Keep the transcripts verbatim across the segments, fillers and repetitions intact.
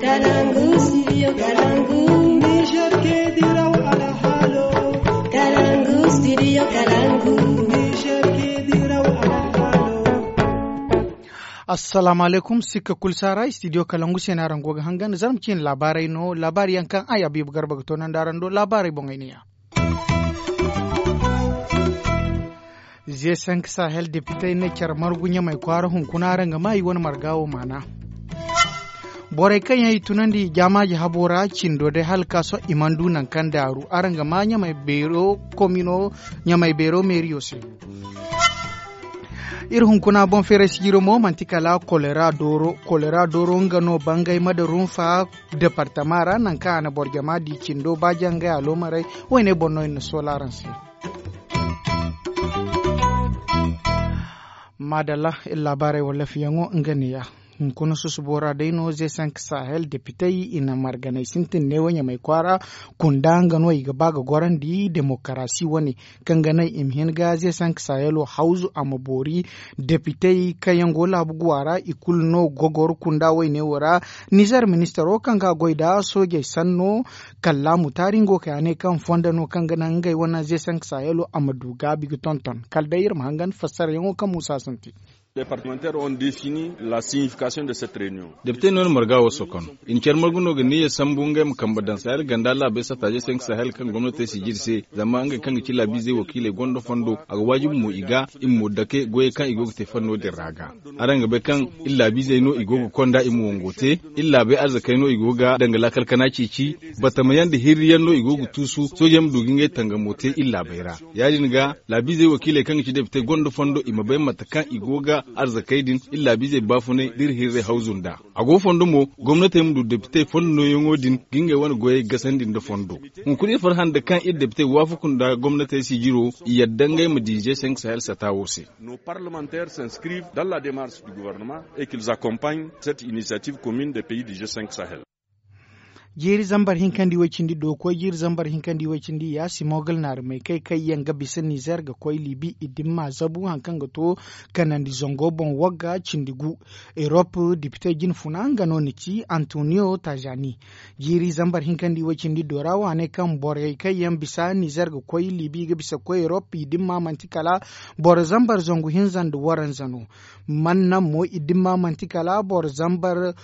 Kalangu, studio Kalangu. Niger ke diraw alhalo. Kalangu, studio Kalangu. Niger ke diraw alhalo. Assalamu alaikum, sikka kul sara, studio Kalangu se no araŋ go ga hangan, zarma ciine laabaarey no, laabaari yaŋ kaŋ ay Habiibu Garba ga toonandi araŋ do, laabaarey boŋey ne ya. Ze cinq Sahel depitey ne care margu Ɲamay kwaara hunkuna araŋ ga ma i wane marga wo maana. Borey kaŋ yaŋ i tunandi jaamaaji habo ra cindo day hala ka sohõ i mana du nangu kaŋ daaru araŋ ga ma Ɲamay beero komino Ɲamay beero meeriyo se. Iri hunkuna boŋ feeray sijiro mo manti kala kolera dooro kolera dooro nga no bangay ma da runfa departama ra nangu kaŋ a na boro jama di cindo ba jangay aloomarey woyne boŋ no iri na soola araŋ se. Maadalla, iri laabaarey wallafiyaŋo nga neeya. Hunkuna susubo ra day no ze cinq sahel depitey i na marganey sintin neewo ɲamay kwaara kunda nga no i ga ba ga gorandi demokarasi wane kaŋ ga naŋ i ma hin ga ze cinq sahelo hawzu a ma boori. Depitey kaŋ yaŋ go laabu guwa ra i kulu no gogor kunda wayne wo ra. Nizer ministaro kaŋ ga goy da soojey sanno kallaamu taari nga wo kay a ne kaŋ fondo no kaŋ ga naŋ ngey wane ze cinq sahelo a ma du gaabi ga tonton kala day iri ma hangan fassarayaŋo kaŋ muusa sintin. Departemanteer on defini la signification de cette reunion. Depite no na marga wo sokon i na care margu no ga niya sambu ngey ma kambe daŋ sahel ganda laabey satta ze cinq sahel kaŋ gomnatey si jiri se. Zama ngey kaŋ ga ci laabiizey wakiiley gonda fondo a ga waajibi mo i ga i ma mo dake goyey kaŋ i go ga te fanno din ra ga. Araŋ ga bay kaŋ iri laabiizey no i go ga konda i ma wango te. Iri laabey arzakey no i go ga danga laakal kana ceeci. Batamayaŋ nda hirriyaŋ no i go ga tuusu soojey ma du ga ngey tangamo te iri laabey ra. Ya- din ga laabiizey wakiiley kaŋ ga ci depite gonda fondo i ma bay mate kaŋ i go ga arzakey din iri laabiizey baafunay da iri hirray hawzu nd'a. A go fondo mo gomnatey ma du depitey fondo nooyaŋo din ga ngey wane goyey gasandi nda fondo. Hunkuna iri farhã nda kaŋ iri depitey waafaku nda gomnatey sijiro i yadda ngey ma di ze cinq sahel sata wo se. Nos parlementaires s'inscrivent dans la démarche du gouvernement et qu'ils accompagnent cette initiative commune des pays du g cinq sahel. Jiiri zambar hinkandi way cindi do koy jiiri zambar hinkandi way cindi ya simogal naari may kay kay yaŋ ga bisa nizer ga koy libi i dimma zabu haŋ kaŋ ga to kanandi zango boŋ wagga cindi gu. Erop dipite jine funa nga no ni ci antonio tajani. Jiiri zambar hinkandi way cindi do ra wane kaŋ borey kaŋ yaŋ bisa nizer ga koy libi ga bisa koy erop i dimma manti kala boro zambar zangu hinza nda waranza no. Man naŋ mo i dimma manti kala boro zambar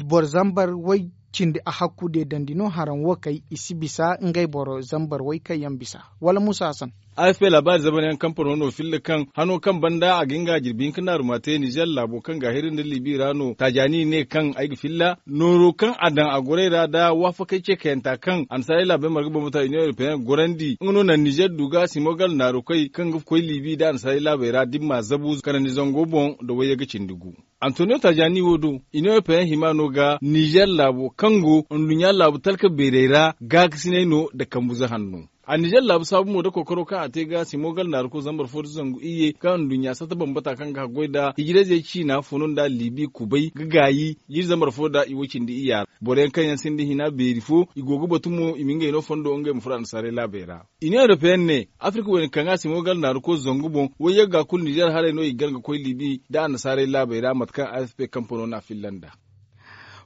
boro zambar way cindi a hakku deedandi no haraŋ wo kay i si bisa ngey boro zambar way kaŋ yaŋ bisa. Wala muusa hasan. A f p laabaari zamanyaŋ kampano no filla kaŋ hano kaŋ banda a ga nga jirbi hinka naaruma te nizer laabo kaŋ ga a hiri nda libi ra no taajani ne kaŋ ay ga filla nooro kaŋ a daŋ a gorey ra nda waafakey ce kayanta kaŋ annasaarey laabey marga bambata union europeenne ga gorandi nga no naŋ nizer du ga simogal naaru koy kaŋ ga koy libi nda annasaarey laabey ra dimma zabu kanandi zango boŋ nda wayyaga cindi gu. Antonio tajani wo do i ne wo peyaŋ hima no ga nizer laabo kaŋ go nduɲɲa laabu talka beerey ra gaakasinay no nda kambuze hanno. A nizer laabu saabu mo nda kookaro kaŋ a te ga simogal naaru ko zambar fo nda zangu iyye kaŋ nduɲɲa sata bambata kaŋ ga haggoy nda hijirayzey ciina fono nda libi kubay ga gaayi jiiri zambar fo nda i wo cindi iyya ra boro yaŋ kaŋ yaŋ sinda hina beeri fo i go ga batu mo i ma ngey no fondo ngey ma furo annasaarey laabey ra. Iniyoŋ europeyenne afirka wayna kaŋ a si mo gar naaru koy zangu boŋ wayyaŋ ga kulu nizer haray no i ga gar ga koy libi nda annasaarey laabey ra mate kaŋ a f p kampano n'a filla nd'a.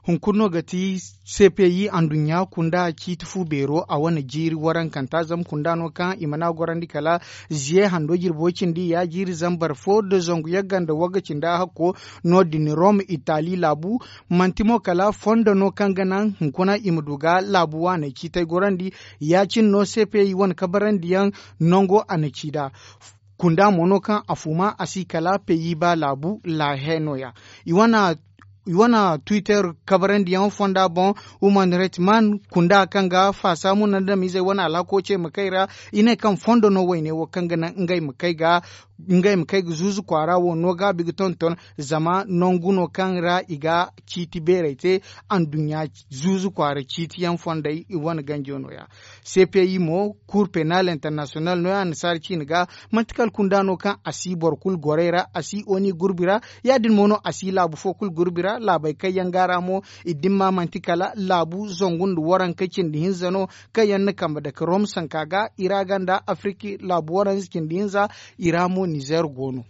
Hunkuna no ga ti c p i anduɲɲa kunda ciiti fu beero a wane jiiri warankanta zama kunda no kaŋ i mana gorandi kala ziye hando jirbo cindi ya jiiri zambar fo nda zangu yagga nda wagga cinda hakko. No- din rom itali laabu manti mo kala fondo no kaŋ ga naŋ hunkuna i ma du ga laabu waaney ciitay gorandi. Ya- cine no c p i wane kabarandiyaŋ nango a na ci nd'a. Kunda mo no kaŋ a fuma a si kala peyi ba laabu laahe no- ya. I wane twitter kabarandiyaŋ fonda boŋ human rights man kunda kaŋ ga faasa munandamizey wane alhako ce ma kay ra. I ne kaŋ fondo no wayne wo kaŋ ga naŋ ngey ma kay ga zuzu kwaara wo no gaabi ga tonton. Zama nangu no kaŋ ra i ga ciiti beerey te anduɲɲa zuzu kwaara ciitiyaŋ fondey i wane ganjo no- ya. C p i mo cour penal international no- ya annasaara ciine ga manti kala kunda no kaŋ a si boro kulu gorey ra a si oni gurbi ra. Ya- din mo no a si laabu fo kulu gurbi ra laabey kaŋ yaŋ ga a ra mo i dimma manti kala laabu zangu nda waranka cindi hinza no kaŋ yaŋ na kambe dake rom sanka ga i ra ga nda afirki laabu waranza cindi hinza. I ra mo nizer go no.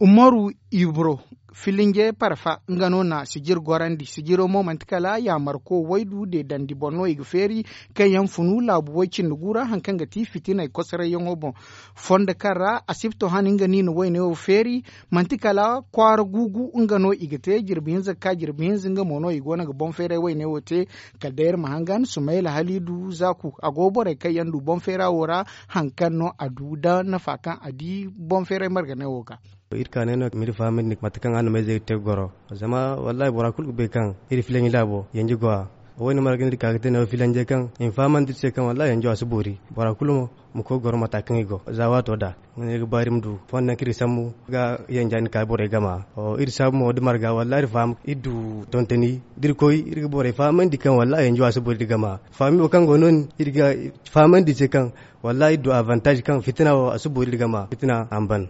Umaru ibro Filinje parfa nga no na sijir gorandi sijiro mo manti kala yaamarko waydu deedandi boŋ no i ga feeri, kaŋ yaŋ funu laabu way cindi gu ra hari kaŋ ga ti fitiney kosarayyaŋo boŋ. Fondo kaŋ ra asipto han nga no i na wayne wo feeri, manti kala kwaara guugu nga no i ga te jirbi hinza ga ka jirbi hinza nga mo no i go no ga boŋ feeray wayne wo te. Kala day iri ma hangan sumayla haliidu zaaku a go borey kaŋ yaŋ du boŋ feera wo ra, hari kaŋ no a du da nafa kaŋ a di boŋ feeray marganey wo ga. Iri kaanay no ma iri fahamandi mate kaŋ araŋ na mayzey ga te ga goro. Zama wallaahi bora kulu ga bay kaŋ iri filaŋ i laabo yanji go a. Wo- ne marga no iri ka ga te neewo filanje kaŋ i ma fahamandi iri se kaŋ wallaahi yanjo a si boori. Bora kulu mo ma koy ga goro mata kaŋ i go za waato da. Nga no iri ga ba iri ma du fondo yaŋ kaŋ iri ga sambu ga yanja din ka borey gama. Iri saabu mo da marga wallaahi iri faham iri du tontoni da iri koy iri ga borey fahamandi kaŋ wallaahi yanjo a si boori iri gama. Fahami wo kaŋ go no- din iri ga fahamandi iri se kaŋ wallaahi iri du avantaaz kaŋ fitina wo a si boori iri gama fitina a ma ban.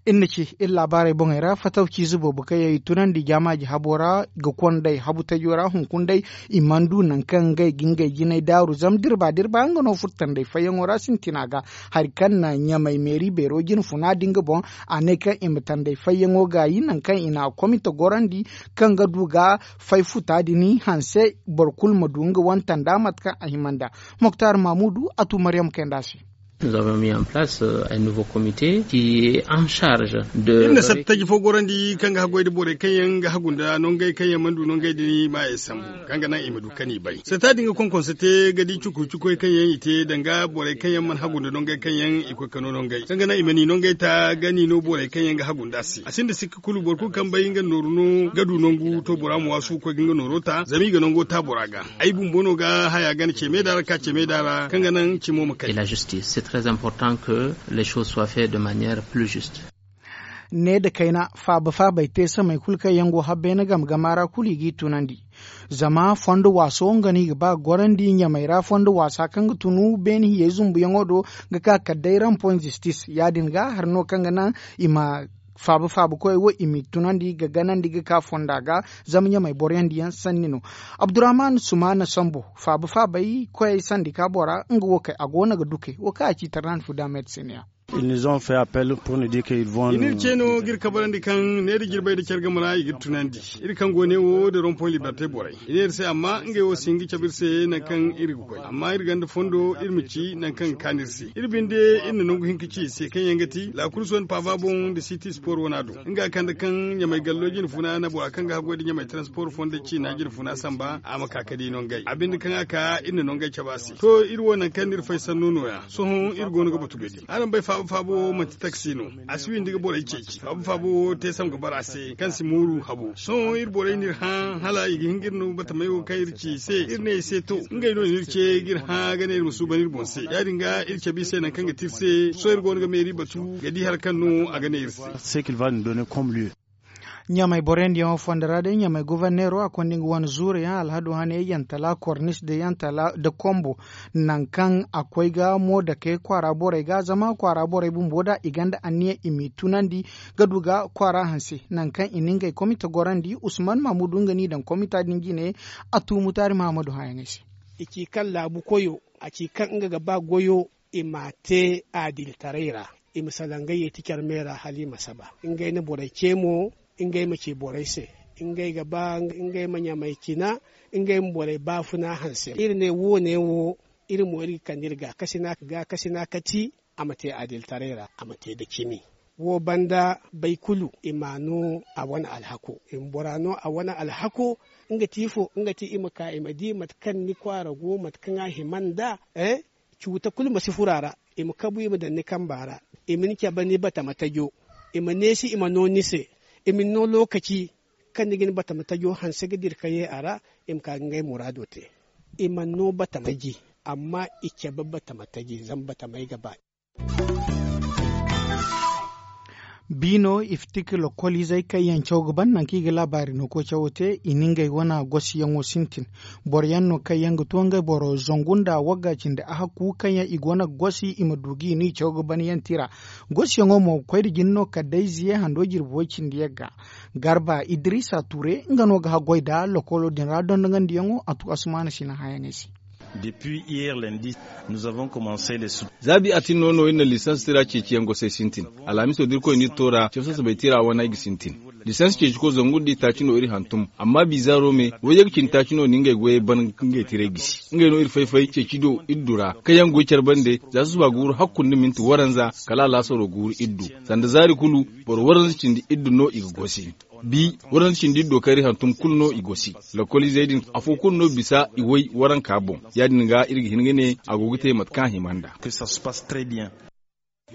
Iri na ci iri laabaarey boŋey ra fatawciize boobo kaŋ yaŋ i tunandi jaamaaji habo ra ga konday habu tajo ra hunkuna day. I mana du nangu kaŋ ngey ga ngey jinay daaru zama da iri ba da iri ba nga no furtandey fayyaŋo ra sintina ga. Hari kaŋ na ɲamay meeri beero jine funa din ga boŋ a ne kaŋ i ma tandey fayyaŋo gaayi nangu kaŋ i na a komite gorandi kaŋ ga du ga fay futa din hanse boro kulu ma du nga wane tanda mate kaŋ a hima nd'a. Moktar mamudu a tu maryam kayndi a se. Nous avons mis en place un nouveau comité qui est en charge de. Iri na satta taji fo gorandi kaŋ ga haggoy da borey kaŋ yaŋ ga hagu nda nongey kaŋ yaŋ mana du nongey din maayey sambu kaŋ ga naŋ i ma du kaŋ i bay satta din ga konkonse te ga di cuku cukoy kaŋ yaŋ i te danga borey kaŋ yaŋ mana hagu nda nongey kaŋ yaŋ i koy ka no nongey kaŋ ga naŋ i ma ni nongey ta ga ni no borey kaŋ yaŋ ga hagu nda a se a sinda sikka kulu boro kulu kaŋ bay nga nooru no ga du nangu to bora ma waasu ga koy ga nga nooro ta zama i ga nango ta bora ga. Ay bumbo no ga haya gana ceme da ra ka ceme da ra kaŋ ga naŋ cimo ma kay. Et la justice c'est très important que les choses soient faites de manière plus juste. Ne da kayna faaba faabay te samay kulu kaŋ yaŋ go habbeene game gama ra kulu i g'i tunandi. Zama fondo waaso nga no i ga ba ga gorandi ɲamay ra fondo waasa kaŋ ga tunu beene hiyey zumbuyaŋo do ga ka kala day rampoy zistis ya- din ga hari no kaŋ ga naŋ i ma faaba faaba koyey wo i m'i tunandi ga ganandi ga ka fonda ga. Zama ɲamey boroyaŋ diyaŋ sanni no. Abdurrahman sumaana sambo faaba faabey koyey sandi ka bora nga wo kay a go no ga dukey wo kaŋ a ci tarnandi fu da medisiniya. Ils nous ont fait appel pour nous dire qu'ils vont i n'iri ce no ga iri kabarandi kaŋ ne da jirbey da care game ra i ga iri tunandi. Iri kaŋ go ne wo da rompoy liberte borey i ne iri se amma ngey wo si hin ga cabe iri se nangu kaŋ iri ga koy amma iri gonda fondo iri ma ci nangu kaŋ ga kaanu iri se. Iri binde iri na nangu hinka ci i se kaŋ yaŋ ga ti la kurso nda paava boŋ nda siti spor wana do nga kande kaŋ ɲamay gallo jinfuna na bora kaŋ ga haggoy nda ɲamay transpor fondo ciina jinfuna samba a ma ka ga di nongey a binde kaŋ a ka iri na nongey cabe a se to iri wo nangu kaŋ no iri fay sanno nooya sohõ iri go no ga batu ga di araŋ bay faabo faabo wo manti taksi no. A si windi ga borey ceeci faabo faabo wo te sam ga bara a se kaŋ si mooru habo sohõ iri borey no iri hã hala i ga hin ga iri no batamey wo kaŋ iri ci i se iri ne i se to ngey no n'iri ce ga iri hã ga ne iri ma suuban iri boŋ se ya- din ga iri cabe i se nangu kaŋ ga ti iri se sohõ iri go no ga meeri batu ga di hari kaŋ no a ga ne iri se. Ɲamay boroyaŋ diyaŋo fondo ra day ɲamay goforneero a konda nga wane zuuru yaŋ alhado hane yantala kornis da yantala da kombo. Nangu kaŋ a koy ga mo dake kwaara borey ga zama kwaara borey bumbo da i gonda anniya i m'i tunandi ga du ga kwaara hanse nangu kaŋ i na ngey komite gorandi usman mahamudu nga n'i daŋ komita din jine. A tu mutaari mahamadu hãyaŋey se. I ci kaŋ laabu koyo a ci kaŋ nga ga ba goyo i m'a te adilitaray ra. I ma salaŋ ngey yeeti care me ra hala i ma saba ngey na borey ce mo. Ngey ma ci borey se ngey ga ba ngey ma ɲamay cina ngey ma borey baafuna hanse iri ne wo- ne wo iri mo iri ga kande iri gaakasina kati a ma te adilitaray ra a ma te nda cimi. Wo banda bay kulu i m'a no a wane alhako i ma bora no a wane alhako. Nga ti ifo nga ti i ma ka i ma di mate kaŋ ni kwaara go mate kaŋ a hima nd'a. Cuuta kulu ma si furo a ra. I ma kabu i ma daŋ ni kamba ra. I ma ni cabe ni batama tajo. I ma neesi i ma no ni se. I ma ni no lookaci kaŋ ni ga ni batama tajo hanse ga dira ka ye a ra. I ma ka ga ngey muraado te. I mana no batama taji. Amma i cabe batama taji zama batamey ga ba. Biino iftik lokoliizey kaŋ yaŋ caw ga ban nangu kaŋ i ga laabaari no koy cawo te i na ngey wane gosiyaŋo sintin. Boro yaŋ no kaŋ yaŋ ga to ngey boro zangu nda wagga cindi ahakku kaŋ yaŋ i go no ga gosi i ma du ga i no i caw ga ban yaŋ tira. Gosiyaŋo mo ga koy nda jine no kala day ziye hando jirbi way cindi yagga. Garba idrisa ture nga no ga haggoy nda lokolo din ra dondoŋandiyaŋo a tu asmaana sina hãyaŋey se. Depuis hier lundi, nous avons commencé les sous. Za bi atin no no iri na lisans tira ceeciyaŋ gosey sintin. Alhamiso da irkoy n'iri to ra cafsa sabay tira wane ay ga sintin. Lisans ceeciko zangu nda itaaci no iri hantum. Amma bizaaro me wayye ga cindi taaci no na ngey goyey ban ga ngey tiray gisi. Ngey no iri fay-fay ceeci do iri du ra kaŋ yaŋ goy care bande za susuba guuru hakku nda minti waranza kala alaasaro guuru iri du. Sanda zaari kulu boro waranza cindi iri du no i ga gosi. Bi waranza cindi iri do kaŋ iri hantum kulu no i gosi. Lokoliizey din afo kulu no bisa i way waranka boŋ. Ya- din ga iri ga hin ga ne a go ga te mate kaŋ a hima nda.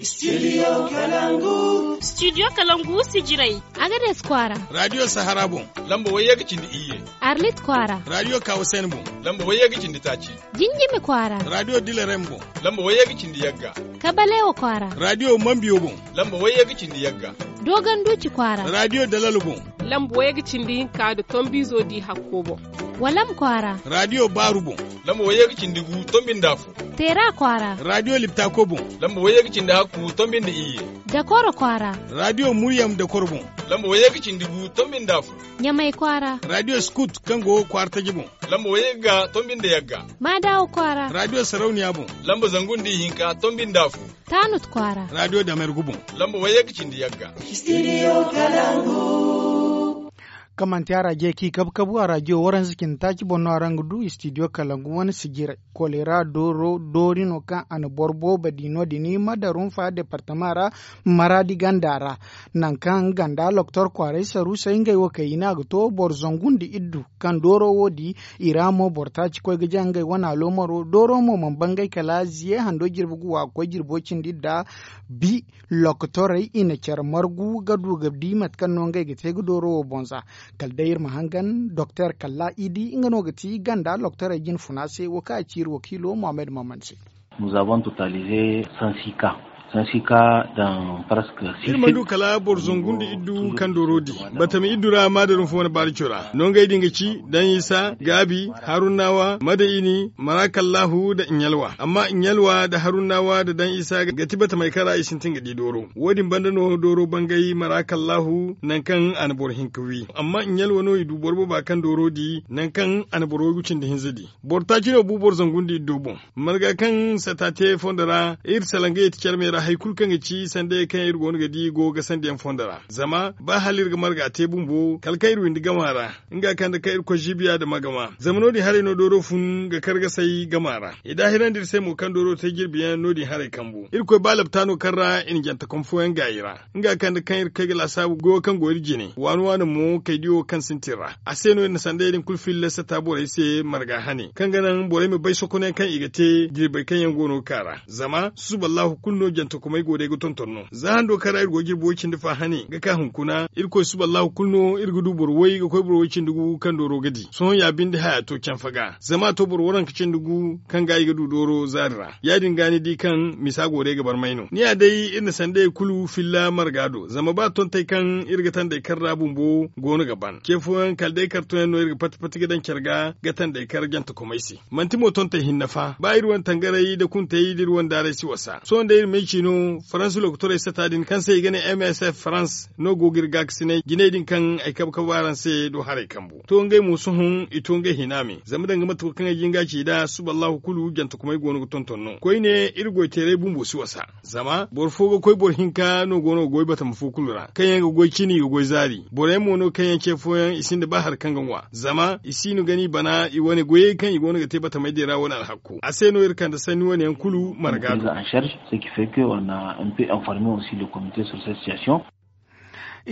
Studio kalangu. Studio kalangu sijirey. Agades kwaara. Radio sahara boŋ. Lamba wayye ga cindi iyye. Arlit kwaara. Radio kawasen boŋ. Lamba wayye ga cindi taaci. Jinjimi kwaara. Radio dilerem boŋ. Lamba wayye ga cindi yagga. Kabalewa kwaara. Radio mambiyo boŋ. Lamba wayye ga cindi yagga. Dogon duci kwaara. Radio dalal boŋ. Lamba wayye ga cindi hinka nda tombizo di hakko boŋ. Walam kwaara. Radio baaru boŋ. Lamba wayye ga cindi gu tombi nda afo. Teera kwaara. Radio liptako boŋ. Lamba wayye ga cindi hakku tombi nda iyye. Dakoro kwaara. Radio muryam dakoro boŋ. Lamba wayye ga cindi gu tombi nda afo. Ɲamay kwaara. Radio skut kaŋ go kwaara taji boŋ. Lamba wayye ga tombi nda yagga. Maadawa kwaara. Radio sarauniya boŋ. Lamba zangu nda ihinka tombi nda afo. Tanut kwaara. Radio damergu boŋ. Lamba wayye ga cindi yagga. Studio kalangu. Kaŋ manti araje kaŋ i kabu-kabu araje waranza cindi taaci boŋ no araŋ ga du studio kalangu wane sijirey. Kolera doori no kaŋ a na boro boobo di no- din mada rumfa departama ra, maraadi ganda ra. Nangu kaŋ ganda loktor kwaaray saruusay ngey wo kaŋ i ne a ga to boro zangu nda iddu kaŋ dooro wo di. I ra mo boro taaci koy ga jaŋ ngey wane aloomaro dooro mo mana bangay kala ziye hando jirbi ga wa ga koy jirbo cindi nda bi. Lokotorey i na care margu ga du ga di mate kaŋ no ngey ga te ga dooro wo boŋ za. Kala day iri ma hangan doktor kalla idi nga no ga ti ganda lokotorey jine funa se wo kaŋ a ci iri wakiilo mohammed maman se. Nous avons totalisé cent six cas. Cent six cas dans presque six sites. Iri mana du kala boro zangu nda iddu kaŋ dooro di. Batama iddu ra maadarum fo wane baarico ra nongey din ga ci dan isa gaabi, harunnawa mada ini marakallahu nda ɲalwa amma ɲalwa nda harunnawa nda dan isa ga ti batamey kaŋ ra i sintin ga di dooro. Wo- din banda no dooro bangay marakallahu nangu kaŋ a na boro hinka wi amma ɲalwa no i du boro booba kaŋ dooro di nangu kaŋ a na boro waygu cindi hinza di. Boro taaci no bu boro zangu nda iddo boŋ. Marga kaŋ sata te fondo ra iri salaŋ ga yeti care me ra hari kulu kaŋ ga ci sandayey kaŋ iri go no ga di go ga sandiyaŋ fondo ra. Zama ba hala iri ga marga te bumbo kala kaŋ iri windi gama ra nga kaŋ da kaŋ irkoy ziibiya nda magama zama no- din haray no dooro fun ga kargasay gama ra. I daahirandi iri se mo kaŋ dooro te jirbiyaŋ no- din haray kambu irkoy ba labta no kaŋ ra i na jantakom fooyaŋ gaayi ra. Nga kaŋ da kaŋ iri koy ga laasaabu goyo kaŋ go iri jine waani waani mo kaydiyo kaŋ sintin ra a se no iri na sandayey din kulu filla sata borey se marga hane kaŋ ga naŋ borey ma bay sokonayaŋ kaŋ i ga te jirbey kaŋ yaŋ go no ga ka ra. Zama susuballahu kulu no jantakumey go day ga tonton no za hando kaŋ ra iri go jirbi way cindi fa hane ga ka hunkuna irkoy susuballahu kulu no iri ga du boro way ga koy boro way cindi gu kaŋ dooro ga di sohõ ya binde haya to canfa ga zama a to boro waranka cindi gu kaŋ ga i ga du dooro zaari ra. Ya- din ga ni di kaŋ misa go day ga barmay no ni ya day iri na sandayey kulu filla marga do zama ba tontey kaŋ iri ga tandey kar ra bumbo go no ga ban ce fooyaŋ kala day kartoyaŋ no iri ga pati pati ga daŋ care ga ga tandey kar jantakumey se. Manti mo tontey hinne fa ba iri wane tangaray nda kuntey nda iri wane daaray si wasa sohõ day iri ma ay ci no faransi lokotorey sata din kaŋ se i ga ne msf faransi no go ga iri gaakasinay jinay din kaŋ ay kabe kabe araŋ se do haray kambu to ngey mo sohõ i to ngey hina me zama danga mate kulu kaŋ ay jin ga ci nd'a suballahu kulu jantakumey go no ga tonton no koyne iri goyteeray bumbo si wasa. Zama boro fo ga koy boro hinka no go no ga goy batama fo kulu ra kaŋ yaŋ ga goy cini i ga goy zaari boro yaŋ mo no kaŋ yaŋ ce fooyaŋ i sinda ba hari kaŋ ga ŋwa zama i si no gana i bana i wane goyey kaŋ i go no ga te batamey din ra wane alhakku a se no iri kande sanni wane yaŋ kulu marga do.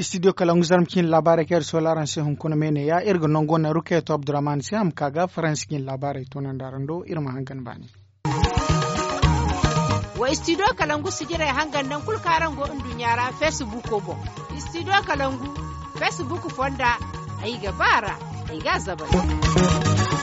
Studio kalangu zarma cine laabaarey kaŋ iri soola araŋ se hunkuna me ne ya iri ga nango naŋ rukayatu abdurrahman se a ma ka ga faransi cine laabaarey toonandi araŋ do iri ma hangan baani. Wa studio kalangu sijirey hangan naŋ kulu kaŋ araŋ go nduɲɲa ra facebook boŋ. Studio kalangu facebook fonda ay ga ba ra ay ga a zabari.